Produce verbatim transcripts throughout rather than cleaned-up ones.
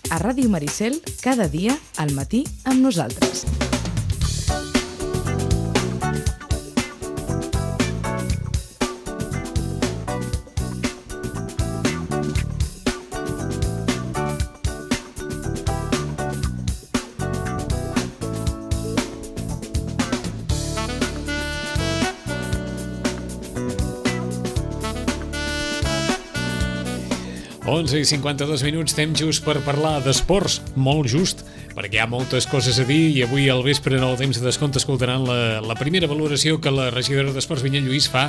A Ràdio Maricel, cada dia, al matí, amb nosaltres. onze i cinquanta-dos minuts, temps just per parlar d'esports, molt just, perquè hi ha moltes coses a dir i avui al vespre en el temps de descompte escoltaran la, la primera valoració que la regidora d'Esports Vinyet Lluís fa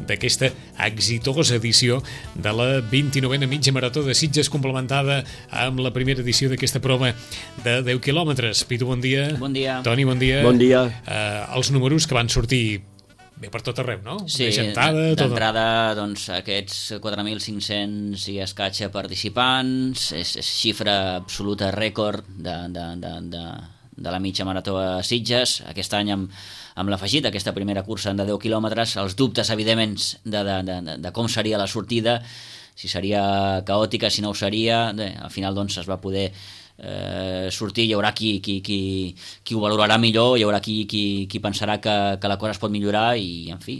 d'aquesta exitosa edició de la vint-i-novena mitja marató de Sitges, complementada amb la primera edició d'aquesta prova de deu quilòmetres. Pitu, bon dia. Bon dia. Toni, bon dia. Bon dia. Uh, els números que van sortir bé per tot arreu, no? Sí, d'entrada, doncs, aquests quatre mil cinc-cents i escaig participants, és, és xifra absoluta rècord de, de, de, de, de la mitja marató a Sitges. Aquest any, amb, amb l'afegit, aquesta primera cursa de deu quilòmetres, els dubtes, evidentment, de, de, de, de com seria la sortida, si seria caòtica, si no ho seria. Bé, al final, doncs, es va poder Eh, sortir, hi haurà qui, qui, qui, qui ho valorarà millor, hi haurà qui, qui, qui pensarà que, que la cosa es pot millorar i, en fi,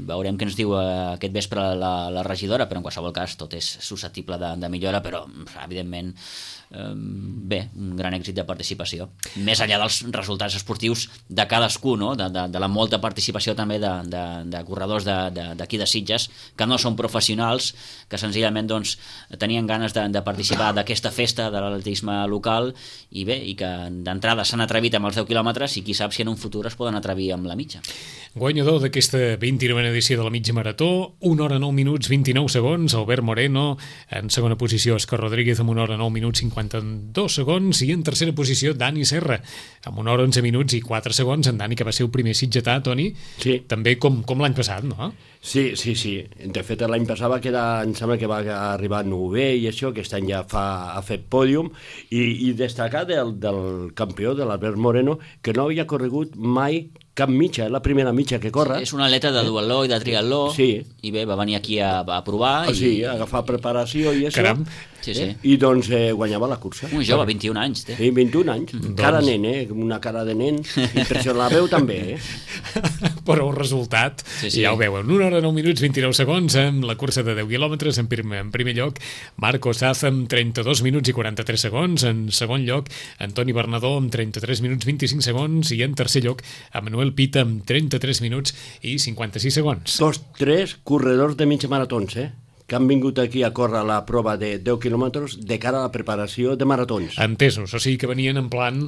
veurem què ens diu aquest vespre la, la regidora, però en qualsevol cas tot és susceptible de, de millora, però evidentment eh, bé, un gran èxit de participació, més enllà dels resultats esportius de cadascú, no? de, de, de la molta participació també de, de, de corredors d'aquí de, de, de Sitges, que no són professionals, que senzillament doncs, tenien ganes de, de participar d'aquesta festa de l'atletisme local i bé, i que d'entrada s'han atrevit amb els deu quilòmetres i qui sap si en un futur es poden atrevir amb la mitja. Guanyador d'aquesta vint-i-novena edició de la mitja marató, una hora nou minuts vint-i-nou segons, Albert Moreno. En segona posició, Òscar Rodríguez amb una hora nou minuts cinquanta-dos segons, i en tercera posició Dani Serra amb una hora onze minuts i quatre segons. En Dani, que va ser el primer sitgetà, Toni, sí. També com, com l'any passat, no? Sí, sí, sí. De fet, l'any passat va quedar, em sembla que va arribar a novè i això, aquest any ja fa, ha fet pòdium, i, i destacar del, del campió, de l'Albert Moreno, que no havia corregut mai cap mitja, és la primera mitja que corre. Sí, és un atleta de duatló i de triatló, sí. I bé, va venir aquí a, a provar. Oh, i... Sí, a agafar preparació i això. Caram. Sí, sí. I doncs eh, guanyava la cursa. Un jove, vint-i-un anys. Té. Sí, vint-i-un anys. Doncs... Cara nen, eh? Una cara de nen. Impressionant. La veu també, eh? Però el resultat, sí, sí. Ja ho veuen. una hora nou minuts vint-i-nou segons amb la cursa de deu quilòmetres. En primer, en primer lloc, Marco Saz amb trenta-dos minuts i quaranta-tres segons. En segon lloc, Antoni Bernadó amb trenta-tres minuts vint-i-cinc segons. I en tercer lloc, Manuel Pita amb trenta-tres minuts i cinquanta-sis segons. Dos, tres corredors de mitja maratons, eh? Que han vingut aquí a córrer la prova de deu quilòmetres de cara a la preparació de maratons. Entesos, o sigui que venien en plan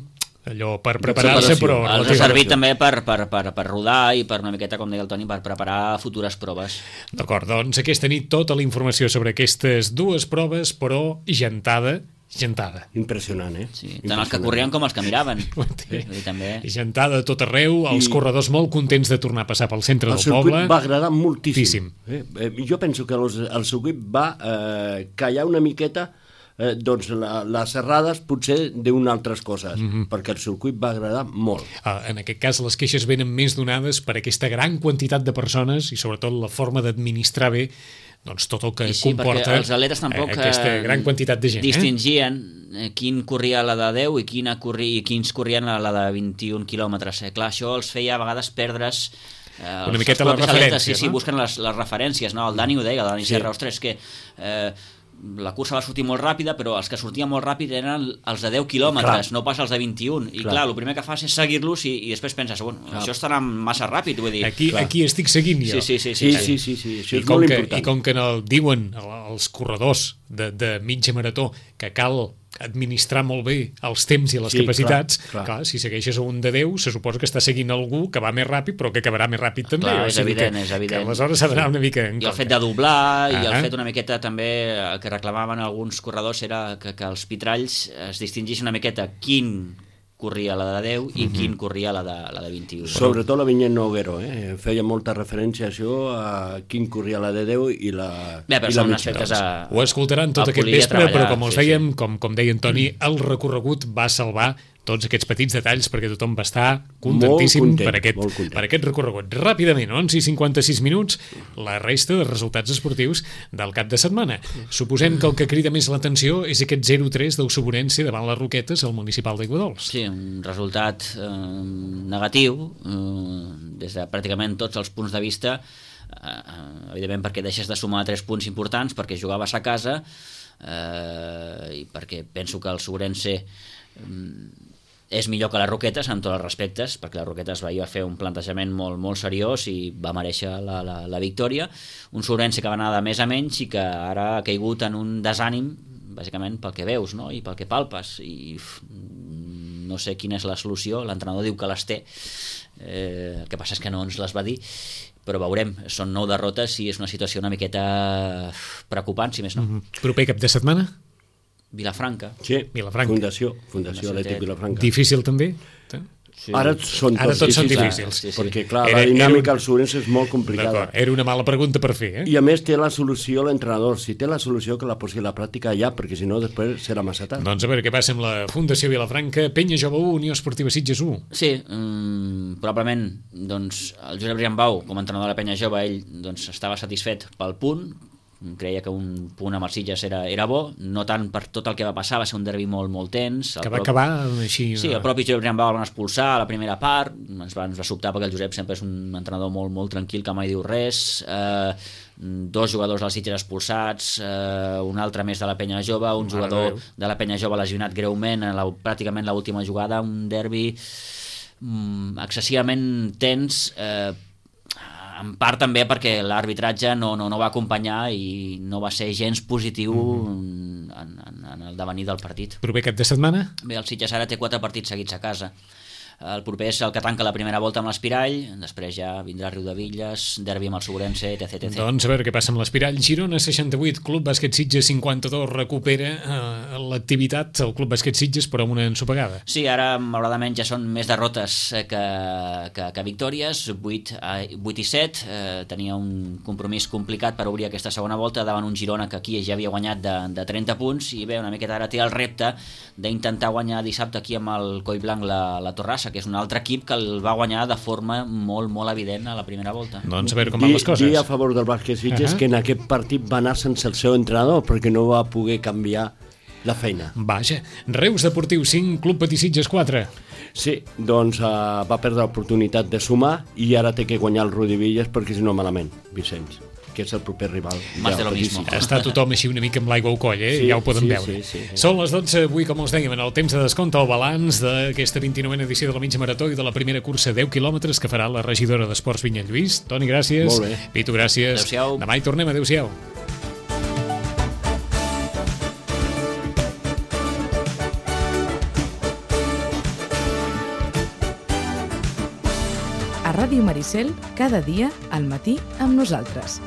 allò per preparar-se, però... Els ha servit també per, per, per, per rodar i per una miqueta, com deia el Toni, per preparar futures proves. D'acord, doncs aquesta nit tota la informació sobre aquestes dues proves, però gentada, gentada. Impressionant, eh? Sí, tant els que corrien com els que miraven. Sí. També... Gentada a tot arreu, els I... corredors molt contents de tornar a passar pel centre el del poble. El circuit va agradar moltíssim. Eh? Eh, jo penso que els, el circuit va eh, callar una miqueta eh, doncs la, les serrades potser d'unes altres coses, mm-hmm. perquè el circuit va agradar molt. Ah, en aquest cas les queixes venen més donades per aquesta gran quantitat de persones i sobretot la forma d'administrar bé doncs tot el que sí, comporta els atletes tampoc aquesta gran quantitat de gent. Distingien eh? quin corria a la de deu i, quina corri, i quins corrien a la de vint-i-un quilòmetres. Eh? Clar, això els feia a vegades perdre's eh, una miqueta la referència, sí, sí, no? busquen les, les referències, no? El Dani ho deia, el Dani sí. Serra, ostres, que eh, la cursa va sortir molt ràpida, però els que sortien molt ràpid eren els de deu quilòmetres, no pas els de vint-i-un. I clar, clar el primer que fas és seguir-los i, i després penses, bueno, clar. Això estarà massa ràpid, vull dir. Aquí, aquí estic seguint jo. Sí, sí, sí. sí, sí, sí, sí, sí. I, com que, I com que no, diuen els corredors de, de mitja marató que cal administrar molt bé els temps i les sí, capacitats, clar, clar. Clar, si segueixes a un de deu, se suposa que està seguint algú que va més ràpid, però que acabarà més ràpid també. Clar, o és sigui evident, que, és evident. Que aleshores s'ha d'anar una mica en I compte. el fet de doblar, ah. i el Ah. fet una miqueta també, el que reclamaven alguns corredors era que, que els pitralls es distingís una miqueta quin corria la de deu i mm-hmm. quin corria la de, la de vint-i-un. Sobretot la Vinyet Noguero, eh? Feia molta referència a això, a quin corria la de deu i la, Bé, però i la són mitja. aspectes a... Ho escoltaran tot aquest vespre, però com els dèiem, com, com deia en Toni, el recorregut va salvar tots aquests petits detalls perquè tothom va estar contentíssim content, per, aquest, per aquest recorregut. Ràpidament, onze i cinquanta-sis minuts, la resta de resultats esportius del cap de setmana. Suposem que el que crida més l'atenció és aquest zero tres del Suburense davant les Roquetes al municipal d'Aiguadols. Sí, un resultat eh, negatiu eh, des de pràcticament tots els punts de vista, eh, evidentment perquè deixes de sumar tres punts importants, perquè jugaves a casa eh, i perquè penso que el Suburense eh, és millor que les Roquetes en tots els respectes, perquè les Roquetes va fer un plantejament molt, molt seriós i va mereixer la, la, la victòria. Un Suburense que va anar de més a menys i que ara ha caigut en un desànim bàsicament pel que veus, no? I pel que palpes, i uf, no sé quina és la solució. L'entrenador diu que les té, eh, el que passa és que no ens les va dir, però veurem, són nou derrotes i és una situació una miqueta preocupant, si més no. Mm-hmm. Proper cap de setmana? Vilafranca. Sí, Vilafranca. Fundació, Fundació Atlètic Vilafranca. Difícil també? Sí. Ara són tots, Ara tots són difícils, difícils. Sí, sí. perquè clar, Era- la dinàmica era un- al Suburense és molt complicada. D'acord, era una mala pregunta per fer, eh? I a més té la solució l'entrenador. Si té la solució, que la posi a la pràctica ja, perquè si no després serà massa tard. Doncs a veure què passa amb la Fundació Vilafranca, Penya Jove u, Unió Esportiva Sitges u. Sí, um, probablement doncs, el Josep Riambau, com a entrenador de la Penya Jove, ell doncs, estava satisfet pel punt, creia que un punt amb els Sitges era, era bo, no tant per tot el que va passar, va ser un derbi molt, molt tens. Que va acabar així... Sí, el propi Josep Riambau el van expulsar a la primera part, ens va, ens va sobtar perquè el Josep sempre és un entrenador molt, molt tranquil, que mai diu res, eh, dos jugadors dels Sitges expulsats, eh, un altre més de la Penya Jove, un Mare jugador de Déu. de la Penya Jove lesionat greument en la, pràcticament l'última jugada, un derbi mm, excessivament tens, eh, en part també perquè l'arbitratge no, no, no va acompanyar i no va ser gens positiu mm. en, en, en el devenir del partit. Proper cap de setmana? Bé, el Sitges ara té quatre partits seguits a casa. El proper és el que tanca la primera volta amb l'Espirall, després ja vindrà Riudevilles, derbi amb el Segurense, etc, etcètera. Doncs a veure què passa amb l'Espirall. Girona seixanta-vuit, Club Bàsquet Sitges cinquanta-dos, recupera eh, l'activitat, el Club Bàsquet Sitges, però amb una ensopegada. Sí, ara malauradament ja són més derrotes que, que, que victòries, vuit i set, eh, tenia un compromís complicat per obrir aquesta segona volta davant un Girona que aquí ja havia guanyat de, de trenta punts, i bé, una miqueta ara té el repte d'intentar guanyar dissabte aquí amb el Collblanc la, la Torrassa, que és un altre equip que el va guanyar de forma molt, molt evident a la primera volta. Doncs a veure com van les coses. Dir a favor del Bàsquet Sitges uh -huh. que en aquest partit va anar sense el seu entrenador perquè no va poder canviar la feina. Vaja, Reus Deportiu cinc, Club Patí Sitges quatre. Sí, doncs uh, va perdre l'oportunitat de sumar i ara té que guanyar el Riudevilles perquè si no malament, Vicenç, que és el proper rival. Más de lo mismo. Està tothom així una mica amb l'aigua al coll, eh? Sí, Ja ho podem sí, veure. sí, sí, sí. Són les dotze, avui, com els dèiem, en el temps de descompte, el balanç d'aquesta vint-i-novena edició de la mitja marató i de la primera cursa deu quilòmetres que farà la regidora d'Esports Vinyet Lluís. Toni, gràcies. Molt bé. Pitu, gràcies. Adéu-siau. Demà hi tornem. Adéu-siau. A Ràdio Maricel, cada dia, al matí, amb nosaltres.